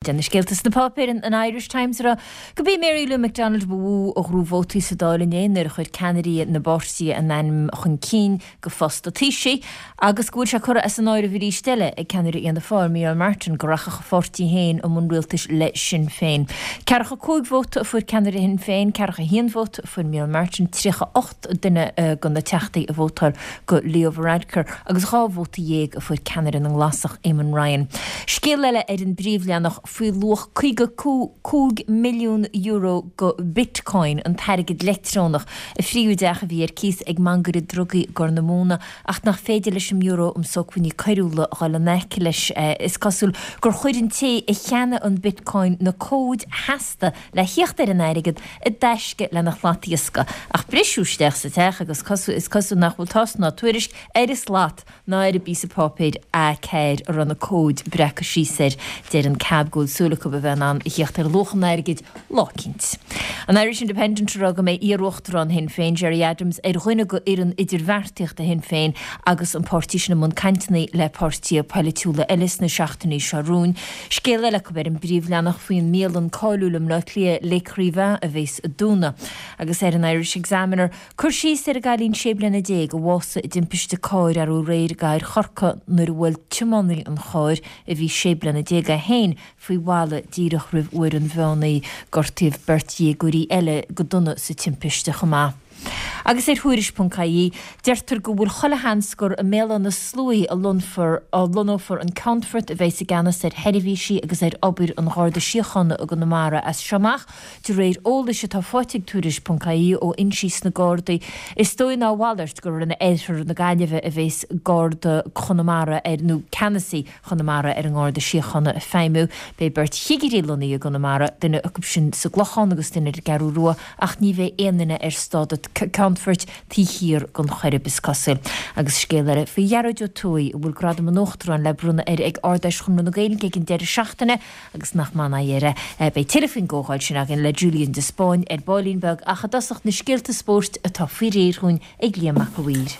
De na scéalta sna páipéir, an Irish Times ag rá gurb í Mary Lou McDonald ba mhó a ghnóthaigh vótaí sa Dáil inné nuair a chuir ceannairí na bpáirtithe a n-ainm chun cinn go phost an Taoisigh agus go bhfuil sé curtha as an áireamh arís eile ag ceannaire Fhianna Fáil, Micheál Martin, go rachadh a pháirtí féin i mbun rialtais le Sinn Féin. 45 vóta a fuair ceannaire Shinn Féin, 41 vóta a fuair Micheál Martin, 38 duine de na teachtaí a vótáil go Leo Varadkar agus 12 vóta a fuair ceannaire na nGlasach, Eamon Ryan. Scéal eile ar an bpríomhleathanach faoi luach €55 milliún go Bitcoin, an t-airgead leictreonach, a phríomh-theach a bhí ar cíos ag mangaire drugaí i gCorr na Móna ach nach féidir leis an mBiúró um Sócmhainní Coiriúla a dhul in aice leis. Is cosúil gur chuir an té a cheannaigh an Bitcoin na cóid sheasta le thíocht ar an airgead i dtaisce lena shlatiascadh. Ach briseadh isteach sa teach agus is cosúil nach bhfuil tásc ná tuairisc ar an slat ná ar an bpíosa páipéir A4 a raibh na cóid breactha síos air. Deir an cab go bhfuil súil acu a bheith in ann a thíocht ar luach an airgid lá eicínt. An Irish Independent ag rá go mbeidh iar-uachtarán Shinn Féin, Gerry Adams, ar dhuine go fhoireann idirbheartaíochta Shinn Féin agus an páirtí sin i mbun cainteanna le páirtithe polaitiúla eile sna seachtainí seo romhainn. Scéal eile acu ar an bpríomhleathanach faoin mbialann cáiliúil i mBleá Cliath, L'Ecrivain, a bhéas ag dúnadh. Agus ar an Irish Examiner, cur síos ar an gcailín 16 bliana a bhásaigh i dtimpiste cairr arú aréir i gcathair Chorcaí nuair a bhuail tiománaí an chairr, a bhí 16 bliana é féin, faoi bhalla díreach roimh uair an mheán oíche. Gortaíodh beirt dhéagóirí eile go dona sa timpiste chomh maith. Agus ar Thuairisc.ie, deirtear go bhfuil chuile sheans gur i mBéal Átha na Sluaighe a lonnfar a lonnófar an Ceannfort a bheas i gceannas ar sheirbhísí agus ar obair an Gharda Síochána i gConamara as seo amach, de réir eolais atá faighte ag Tuairisc.ie ó fhoinsí sna Gardaí. Is dóigh ná a mhalairt gur in oirthear na Gaillimhe a bheas Garda Chonamara ar nó ceannasaí Chonamara ar an nGarda Síochána ag feidhmiú. Beidh beirt chigirí lonnaithe i gConamara, duine acu sin sa gClochán agus duine ar an gCeathrú Rua, ach ní bheidh aon duine ar stádas ceannfoirt taobh thiar den Choirib, is cosúil. Agus scéal eile faoi Ghearóid Ó Tuathaigh, a bhfuil Gradam an Uachtaráin le bronnadh air ag Ard-Fheis Chonradh na Gaeilge ag an deireadh seachtaine, agus nach maith an aghaidh air é. Beidh tuilleadh faoin gcomhdháil sin againn le Julian de Spáinn ar baillín beag, ach i dtosach na scéalta spóirt atá faoi réir dhúinn ag Liam Mac a' Mhaoir.